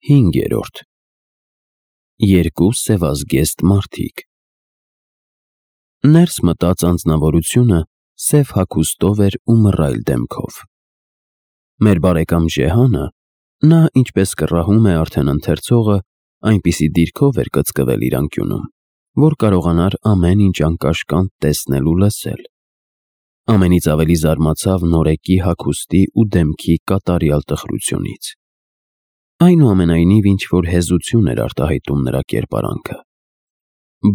5. Երկու սևազգեստ մարդիկ։ Ներս մտած անձնավորությունը սև հագուստով էր ու մռայլ դեմքով։ Մեր բարեկամ Ջեհանը, նա ինչպես կռահում է արդեն ընթերցողը, այնպիսի դիրքով էր կծկվել իր անկյունում, որ կարողանար ամեն ինչ անկաշկանդ տեսնել ու լսել։ Ամենից ավելի զարմացավ նորեկի հագուստի ու դեմքի կատարյալ տխրությունից։ Այնուամենայնիվ ինչ-որ հեզություն էր արտահայտում նրա կերպարանքը,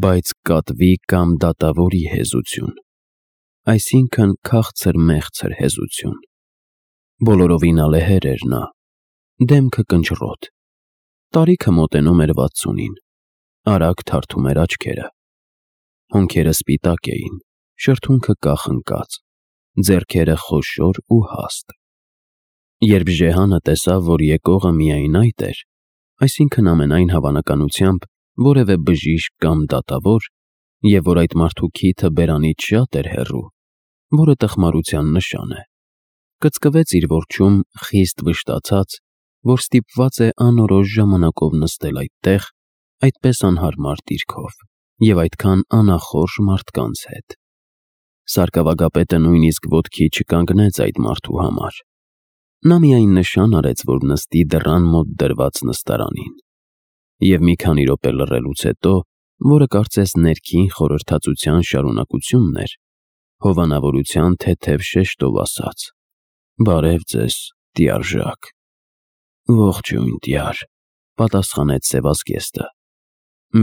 բայց կատվի կամ դատավորի հեզություն, այսինքն քաղցր-մեղցր հեզություն։ Բոլորովին ալեհեր էր նա, դեմքը կնճռոտ, տարիքը մոտենում էր 60-ին, արագ թարթում էր աչքերը, հոնքերը սպիտակ էին, շրթունքը կախնկած, ձեռքերը խոշոր ու հաստ։ Երբ Ջեհանը տեսավ, որ եկողը միայն այդ էր, այսինքն ամենայն հավանականությամբ որևէ բժիշկ կամ դատավոր, և որ այդ մարդու քիթը բերանից շատ էր հեռու, որը տխմարության նշան է, կծկվեց իր որջում խիստ վշտացած, որ ստիպված է անորոշ ժամանակով նստել այդտեղ, այդպես անհարմար դիրքով և այդքան անախորժ մարդկանց հետ։ Սարկավագապետը նույնիսկ ոտքի չկանգնեց այդ մարդու համար։ Նա միայն նշան արեց, որ նստի դռան մոտ դրված նստարանին, և մի քանի րոպե լռելուց հետո, որը կարծես ներքին խորհրդածության շարունակությունն էր, հովանավորության թեթև շեշտով ասաց. «Բարև ձեզ, տյարժակ»։ «Ողջույն, տյար», պատասխանեց սևազգեստը։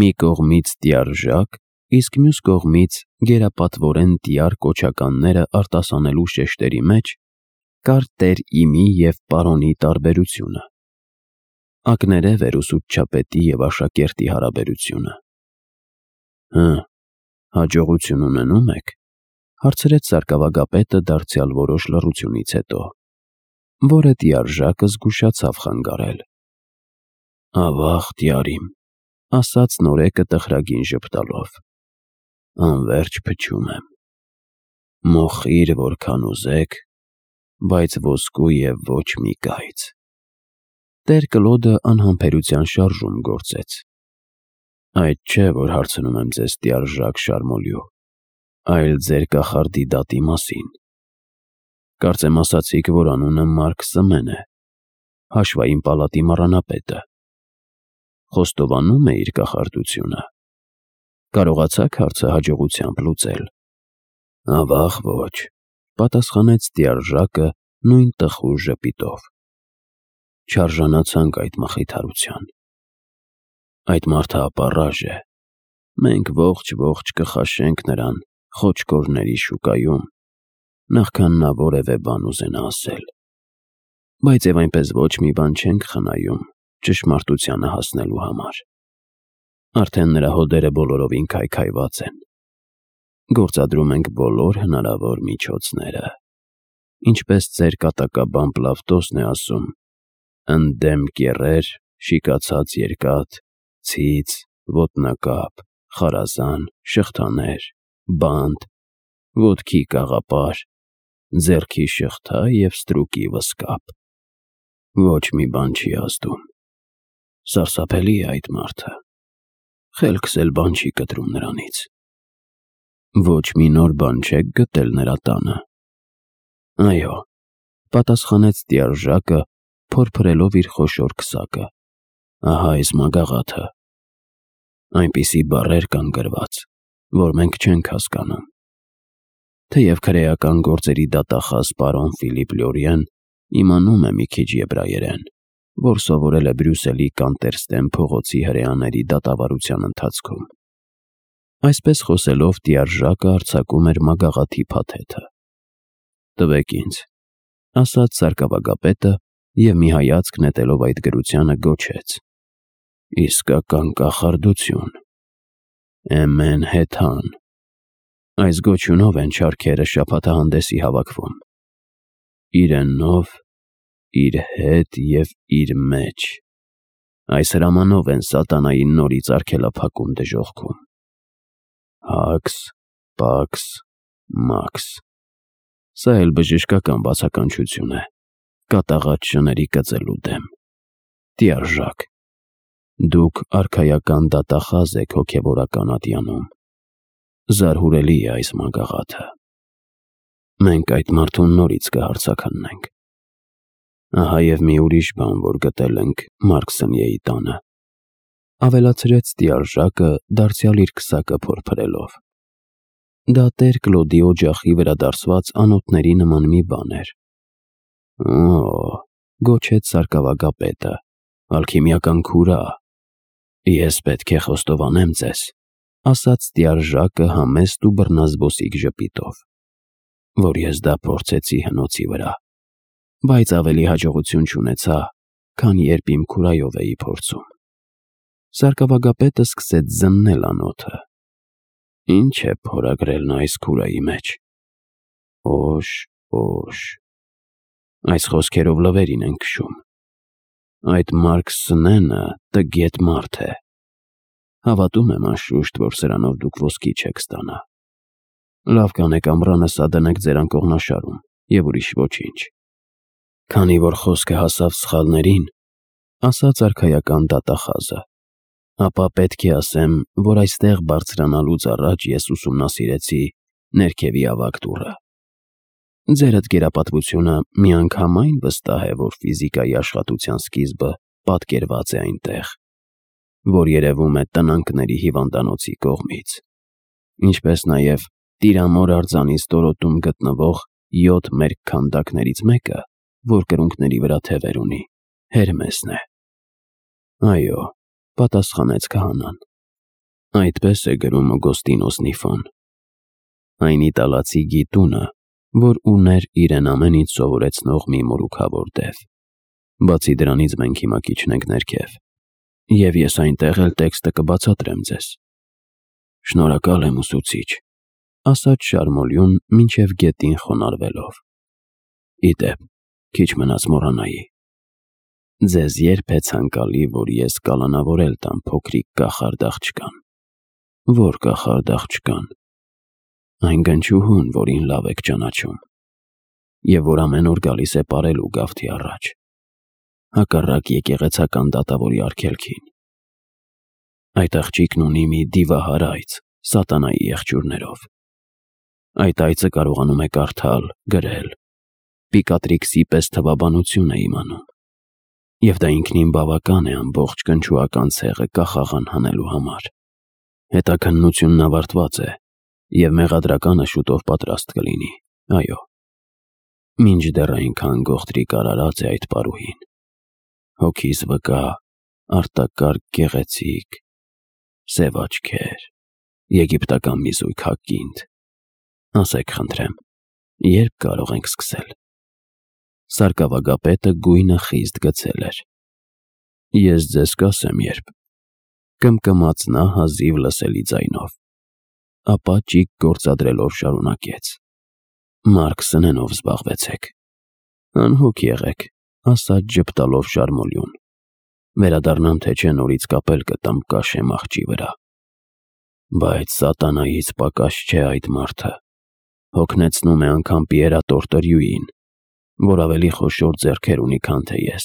Մի կողմից տյարժակ, իսկ մյուս կողմից գերապատվորեն տյար կոչականները արտասանելու շեշտերի մեջ կար տեր իմի և պարոնի տարբերությունը։ Ակներև էր ուսուցչապետի և աշակերտի հարաբերությունը։ Հաջողություն ունենո՞ւմ եք, հարցրեց սարկավագապետը դարձյալ որոշ լռությունից հետո, որը տյարժակը զգուշացավ խանգարել։ Ավաղ, տյար իմ, ասաց նորեկը տխրագին ժպտալով, անվերջ փչում եմ։ Մոխիր որքան ուզեք, բայց ոսկու և ոչ մի կայծ։ Տեր Կլոդը անհամբերության շարժում գործեց։ Այդ չէ, որ հարցնում եմ ձեզ, տյարժակ Շարմոլյու, այլ ձեր կախարդի դատի մասին։ Կարծեմ ասացիք, որ անունը Մարկ Սմեն է, հաշվային պալատի մառանապետը։ Խոստովանում է իր կախարդությունը։ Կարողացաք հարցը հաջողությամբ լուծել։ Ավաղ ոչ, պատասխանեց տյարժակը նույն տխուր ժպիտով։ Չարժանացանք այդ մխիթարության։ Այդ մարդը ապառաժ է։ Մենք ողջ կխաշենք նրան խոչկորների շուկայում, նախքան նա որևէ բան ուզենա ասել։ Բայց և այնպես ոչ մի բան չենք խնայում ճշմարտությանը հասնելու համար։ Արդեն նրա հոդերը բոլորովին քայքայված են։ Գործադրում ենք բոլոր հնարավոր միջոցները։ Ինչպես ձեր կատակաբան Պլավտոսն է ասում, ընդդեմ կեռեր, շիկացած երկաթ, ցից, ոտնակապ, խարազան, շղթաներ, բանտ, ոտքի կաղապար, ձեռքի շղթա և ստրուկի վսկապ։ Ոչ մի բան չի ազդում։ Սարսափելի է այդ մարդը։ Խելքս էլ բան չի կտրում նրանից։ Ոչ մի նոր բան չեք գտել նրա տանը։ Այո, պատասխանեց տյարժակը, փորփրելով իր խոշոր քսակը։ Ահա այս մագաղաթը։ Այնպիսի բառեր կան գրված, որ մենք չենք հասկանում։ Թեև քրեական գործերի դատախազ պարոն Ֆիլիպ Լյորիեն իմանում է մի քիչ եբրայերեն, որ սովորել է Բրյուսելի Կանտերստեն փողոցի հրեաների դատավարության ընթացքում։ Այսպես խոսելով տյարժակը արձակում էր մագաղաթի փաթեթը։ Տվեք ինձ, ասաց սարկավագապետը և մի հայացք նետելով այդ գրությանը գոչեց. Իսկական կախարդություն։ Էմեն հեթան։ Այս գոչյունով են չարքերը շաբաթահանդեսի հավաքվում։ Իրենով, իր հետ և իր մեջ։ Այս հրամանով են սատանային նորից արգելափակում դժոխքում։ Հաքս, պաքս, մաքս։ Սա էլ բժշկական բացականչություն է, կատաղած շների կծելու դեմ։ Տյարժակ, Դուք արքայական դատախազ եք հոգևորական ատյանում։ Զարհուրելի է այս մագաղաթը։ Մենք այդ մարդուն նորից կհարցաքննենք։ Ահա և մի ուրիշ բան, որ գտել ենք Մարքսնիեի տանը, ավելացրեց տիարժակը, դարձյալ իր քսակը փորփրելով։ Դա տեր Կլոդի օջախի վրա դարսված անոթների նման մի բան էր։ Օ՜, գոչեց սարկավագապետը, ալքիմիական քուրա։ Ես պետք է խոստովանեմ ձեզ, ասաց տիարժակը համեստ ու բռնազբոսիկ ժպիտով, որ ես դա փորձեցի հնոցի վրա, բայց ավելի հաջողություն չունեցա, քան երբ իմ քուրայով էի փորձում։ Սարկավագապետը սկսեց զննել անոթը։ Ինչ է փորագրել նա այս քուրայի մեջ։ Օշ, օշ։ Այս խոսքերով լվերին են քշում։ Այդ Մարքսնենը տգետ մարդ է։ Հավատում եմ անշուշտ, որ սրանով դուք ոսկի չեք ստանա։ Լավ կանեք ամռանը սա դնեք ձեր անկողնաշարում և ուրիշ ոչինչ։ Քանի որ խոսքը հասավ սխալներին, ասաց արքայական դատախազը, ապա պետք է ասեմ, որ այստեղ բարձրանալուց առաջ ես ուսումնասիրեցի ներքևի ավագ դուռը։ Ձեր գերապատվությունը միանգամայն վստահ է, որ ֆիզիկայի աշխատության սկիզբը պատկերված է այնտեղ, որ երևում է տնանքների հիվանդանոցի կողմից, ինչպես նաև Տիրամոր արձանի ստորոտում գտնվող 7 մերկ քանդակներից մեկը, որ կրունկների վրա թևեր ունի, Հերմեսն է։ Այո, պատասխանեց քահանան։ Այդպես է գրում Օգոստինոս Նիֆոն։ Այն իտալացի գիտունը, որ ուներ իրեն ամեն ինչ սովորեցնող մի մորուքավոր դև։ Բացի դրանից մենք հիմա կիջնենք ներքև, և ես այնտեղ էլ տեքստը կբացատրեմ ձեզ։ Շնորհակալ եմ, ուսուցիչ, ասաց Շարմոլյուն մինչև գետին խոնարհվելով։ Իդեպ, քիչ մնաց մոռանայի։ Ձեզ երբ է ցանկալի, որ ես կալանավորել տամ փոքրիկ կախարդ աղջկան։ Որ կախարդ աղջկան։ Այն գնչուհուն, որին լավ եք ճանաչում, և որ ամեն օր գալիս է պարելու գավթի առաջ, հակառակ եկեղեցական դատավորի արգելքին։ Այդ աղջիկն ունի մի դիվահար այծ, սատանայի եղջյուրներով։ Այդ այծը կարողանում է կարդալ, գրել, Պիկատրիքսի պես թվաբանություն է իմանում, և դա ինքնին բավական է ամբողջ կնչուական ցեղը կախաղան հանելու համար։ Հետաքննությունն ավարտված է, և մեղադրականը շուտով պատրաստ կլինի, այո։ Մինչդեռ այնքան գողտրիկ արարած է այդ պարուհին։ Հոգիս վկա, արտակարգ գեղեցիկ, սև աչքեր, եգիպտական մի զույգ հակինդ։ Ասեք խնդրեմ, երբ կարող ենք սկսել։ Սարկավագապետը գույնը խիստ գցել էր։ Ես ձեզ կասեմ երբ, կմկմաց նա հազիվ լսելի ձայնով, ապա ճիգ գործադրելով շարունակեց. Մարքսնենով զբաղվեցեք։ Անհոգ եղեք, ասաց ժպտալով Շարմոլյուն։ Վերադառնամ թե չէ նորից կապել կտամ կաշեմ աղջի վրա։ Բայց սատանայից պակաս չէ այդ մարդը։ Հոգնեցնում է անգամ Պիերատորտրյուին, որ ավելի խոշոր ձեռքեր ունի, քան թե ես։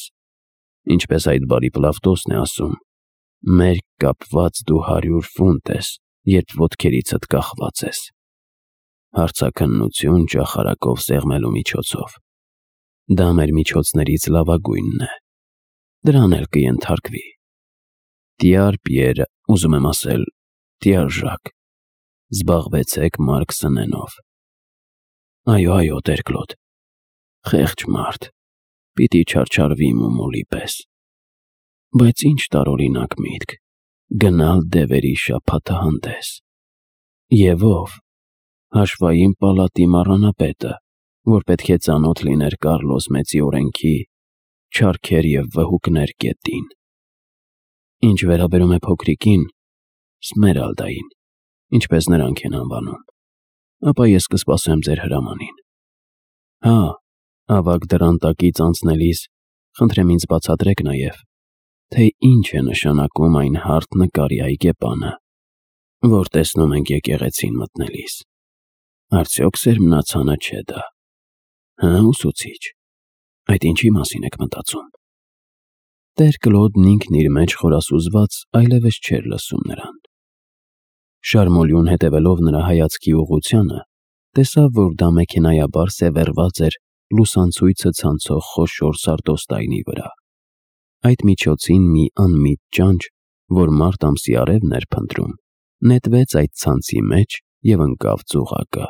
Ինչպես այդ բարի Պլավտոսն է ասում, մերկ կապված դու 100 ֆունտ ես, երբ ոտքերիցդ կախված ես։ Հարցաքննություն ճախարակով սեղմելու միջոցով։ Դա մեր միջոցներից լավագույնն է։ Դրան էլ կենթարկվի։ Տիար Պիեր, ուզում եմ ասել, տիարժակ, զբաղվեցեք Մարքսնենով։ Այո, այո, տեր Կլոդ։ Խեղճ մարդ, պիտի չարչարվի մումոլի պես։ Բայց ինչ տարօրինակ միտք, գնալ դևերի շաբաթահանդես։ Եվ ով։ Հաշվային պալատի մառանապետը, որ պետք է ծանոթ լիներ Կարլոս Մեծի օրենքի, չարքեր և վհուկներ կետին։ Ինչ վերաբերում է փոքրիկին, Սմերալդային, ինչպես նրանք են անվանում, ապա ես կսպասեմ ձեր հրամանին։ Հա, ավագ դռան տակից անցնելիս խնդրեմ ինձ բացատրեք նաև, թե ինչ է նշանակում այն հարթ նկարի այգեպանը, որ տեսնում ենք եկեղեցին մտնելիս։ Արդյոք սերմնացանը չէ դա։ Հա, ուսուցիչ, այդ ինչի մասին եք մտածում։ Տեր Կլոդն ինքն իր մեջ խորասուզված այլևս չէր լսում նրան։ Շարմոլյուն հետևելով նրա հայացքի ուղղությանը, տեսավ, որ դա մեքենայաբար սևեռված էր լուսանցույցը ցանցող խոշոր սարդոստայնի վրա։ Այդ միջոցին մի անմիտ ճանճ, որ մարտ ամսի արևն էր փնտրում, նետվեց այդ ցանցի մեջ և ընկավ ծուղակը։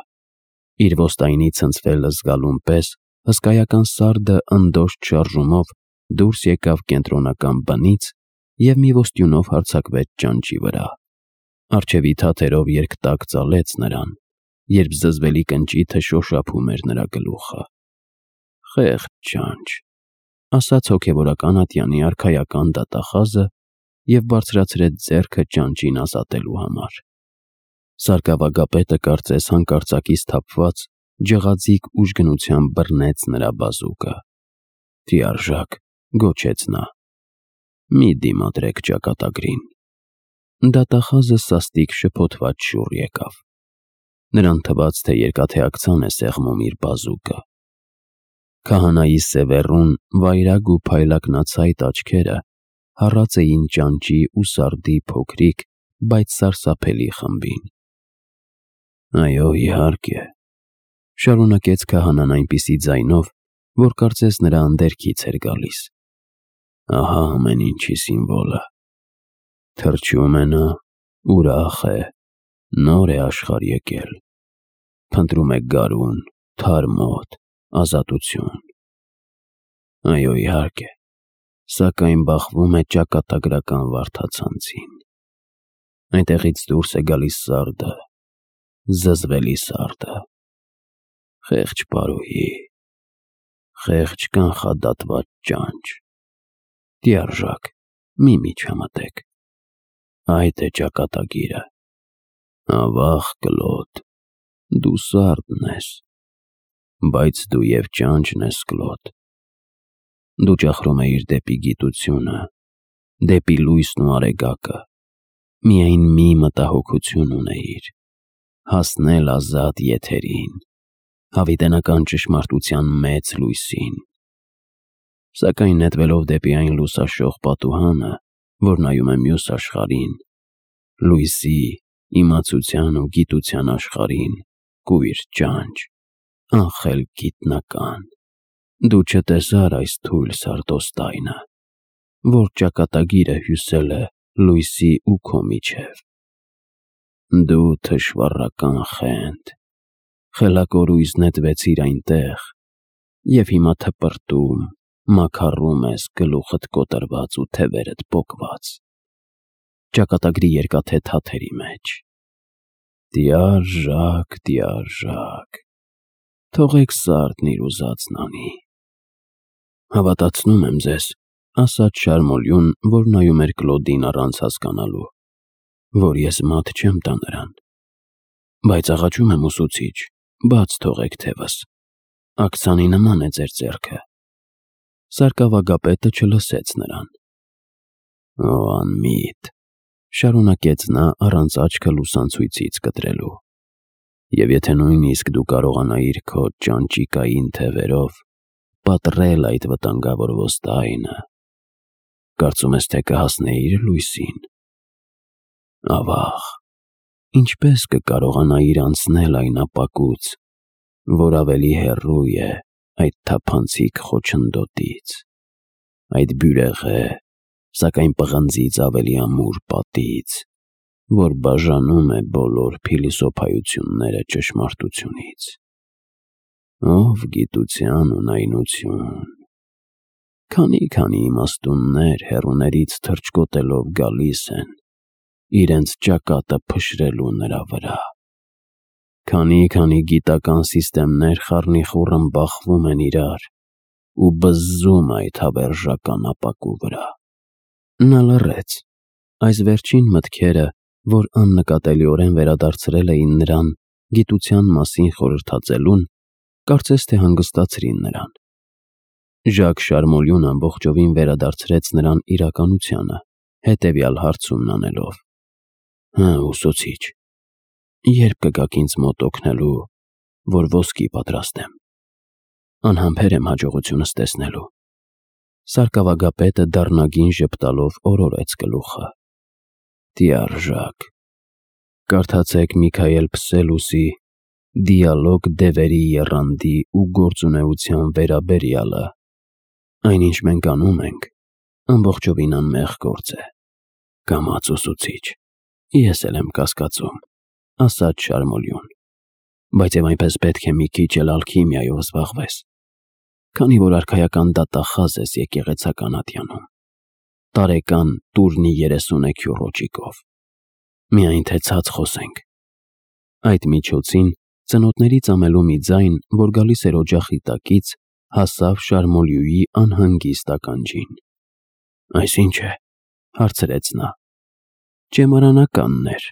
Իր ոստայնի ցնցվելը զգալուն պես հսկայական սարդը ընդոշտ շարժումով դուրս եկավ կենտրոնական բնից և մի ոստյունով հարձակվեց ճանճի վրա։ Առջևի թաթերով երկտակ ծալեց նրան, երբ զզվելի կնճիթը շոշափում էր նրա գլուխը։ «Խեղճ ճանճ», ասաց հոգևորական ատյանի արքայական դատախազը և բարձրացրեց ձեռքը ճանճին ազատելու համար։ Սարկավագապետը կարծես հանկարծակի սթափված ջղաձիգ ուժգնությամբ բռնեց նրա բազուկը։ «Թիարժեք», գոչեց նա, «մի դիմադրեք ճակատագրին»։ Դատախազը սաստիկ շփոթված շուռ եկավ։ Նրան թվաց, թե երկաթեակցան է սեղմում իր բազուկը։ Քահանայի սևեռուն, վայրագ ու փայլակնացայտ աչքերը հառած էին ճանճի ու սարդի փոքրիկ, բայց սարսափելի խմբին։ «Այո, իհարկե», շարունակեց քահանան այնպիսի ձայնով, որ կարծես նրա անդերքից էր գալիս։ «Ահա ամեն ինչի սիմվոլը։ Թրջում է նա, ուրախ է, նոր է աշխարհ եկել, փնտրում է գարուն, թարմ օդ, ազատություն։ Այո, իհարկե, սակայն բախվում է ճակատագրական վարդացանցին։ Այնտեղից դուրս է գալիս սարդը, զզվելի սարդը, խեղճ պարուհի, խեղճ կանխադատված ճանճ։ Թիարժեք, մի միջամտեք, այդ է ճակատագիրը։ Ավաղ Կլոդ, դու սարդն ես, բայց դու և ճանճն ես, Կլոդ։ Դու ճախրում էիր դեպի գիտությունը, դեպի լույսն ու արեգակը, միայն մի մտահոգություն ունեիր՝ հասնել ազատ եթերին, հավիտենական ճշմարտության մեծ լույսին։ Սակայն նետվելով դեպի այն լուսաշող պատուհանը, որ նայում է մյուս աշխարհին, լույսի, իմացության ու գիտության աշխարհին, կույր ճանճ, անխելք գիտնական, դու չտեսար այս թույլ սարդոստայնը, որ ճակատագիրը հյուսել է լույսի ու քո միջև։ Դու թշվառական խենթ, խելակորույս նետվեցիր այնտեղ և հիմա թպրտում, մաքառում ես գլուխդ կոտրված ու թևերդ պոկված ճակատագրի երկաթե թաթերի մեջ։ Թիարժեք, թիարժեք, թողեք սարդն իր ուզածն անի։ Հավատացնում եմ ձեզ, ասաց Շարմոլյուն, որ նայում էր Կլոդին առանց հասկանալու, որ ես մատ չեմ տա նրան։ Բայց աղաչում եմ, ուսուցիչ, բաց թողեք թևս, աքցանի նման է ձեր ձեռքը։ Սարկավագապետը չլսեց նրան։ Օ անմիտ, շարունակեց նա առանց աչքը լուսանցույցից կտրելու, և եթե նույնիսկ դու կարողանայիր քո ճանճիկային թևերով պատռել այդ վտանգավոր ոստայնը, կարծում ես, թե կհասնեիր լույսին։ Ավաղ, ինչպես կկարողանայիր անցնել այն ապակուց, որ ավելի հեռու է այդ թափանցիկ խոչընդոտից, այդ բյուրեղե, սակայն պղնձից ավելի ամուր պատից, որ բաժանում է բոլոր փիլիսոփայությունները ճշմարտությունից։ Ով գիտության ունայնություն, քանի իմաստուններ հեռուներից թռչկոտելով գալիս են իրենց ճակատը փշրելու նրա վրա, քանի գիտական սիստեմներ խառնիխուռն բախվում են իրար ու բզզում այդ հավերժական ապակու վրա։ Նա լռեց։ Այս վերջին մտքերը, որ աննկատելիորեն վերադարձրել էին նրան գիտության մասին խորհրդածելուն, կարծես թե հանգստացրին նրան։ Ժակ Շարմոլյուն ամբողջովին վերադարձրեց նրան իրականությանը, հետևյալ հարցումն անելով. Ուսուցիչ, երբ կգաք ինձ մոտ օգնելու, որ ոսկի պատրաստեմ։ Անհամբեր եմ հաջողությունս տեսնելու։ Սարկավագապետը դառնագին ժպտալով օրորեց գլուխը։ Տիարժակ։ Կարդացեք Միքայել Փսելուսի «Դիալոգ դևերի եռանդի ու գործունեության վերաբերյալը»։ Այնինչ մենք անում ենք, ամբողջովին անմեղ գործ է։ Կամաց ուսուցիչ, ես էլ եմ կասկածում, ասաց Շարմոլյուն, բայց եւ այնպես պետք է մի քիչ էլ ալքիմիայով զբաղվես, քանի որ արքայական դատախազ ես եկեղեցական ատյանում, տարեկան տուրնի 30 քյուրոջիկով, միայն թե ցած խոսենք։ Այդ միջոցին ծնոտների ծամելու մի ձայն, որ գալիս էր օջախի տակից, հասավ Շարմոլյուի անհանգիստ ականջին։ Այս ի՞նչ է, հարցրեց նա։ Ճեմարանականն էր,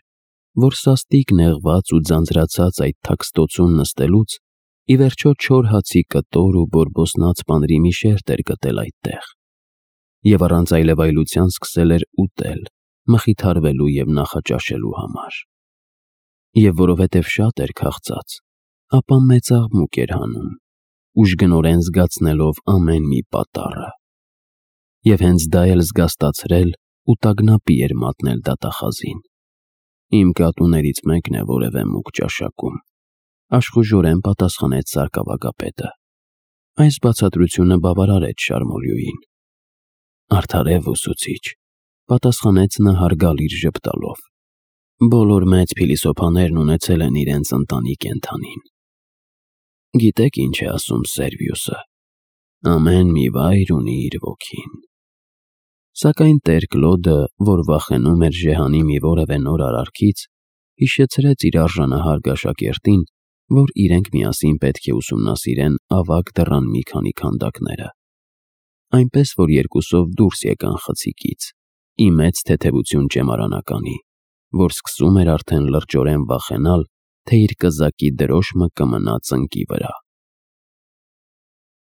որ սաստիկ նեղված ու ձանձրացած այդ թաքստոցում նստելուց, ի վերջո չոր հացի կտոր ու բորբոսնած պանրի մի շերտ էր գտել այդտեղ, եւ առանց այլևայլության սկսել էր ուտել, մխիթարվելու եւ նախաճաշելու համար։ Եվ որովհետև շատ էր քաղցած, ապա մեծ աղմուկ էր հանում, ուժգնորեն զգացնելով ամեն մի պատառը։ Եվ հենց դա էլ զգաստացրել ու տագնապի էր մատնել դատախազին։ Իմ կատուներից մեկն է որևէ մուկ ճաշակում, աշխուժորեն պատասխանեց սարկավագապետը։ Այս բացատրությունը բավարարեց Շարմոլյուին։ Արդարև ուսուցիչ, պատասխանեց նա հարգալից ժպտալով։ Բոլոր մեծ փիլիսոփաներն ունեցել են իրենց ընտանի կենդանին։ Գիտեք ինչ է ասում Սերվիուսը. ամեն մի վայր ունի իր ոգին։ Սակայն տեր Կլոդը, որ վախենում էր Ժեհանի մի որևէ նոր արարքից, հիշեցրեց իր արժանահար գաշակերտին, որ իրենք միասին պետք է ուսումնասիրեն ավագ դռան մի քանի քանդակները։ Այնպես որ երկուսով դուրս եկան խցիկից, ի մեծ թեթևություն ճեմարանականի, որ սկսում էր արդեն լրջորեն վախենալ, թե իր կզակի դրոշմը կմնա ծնկի վրա։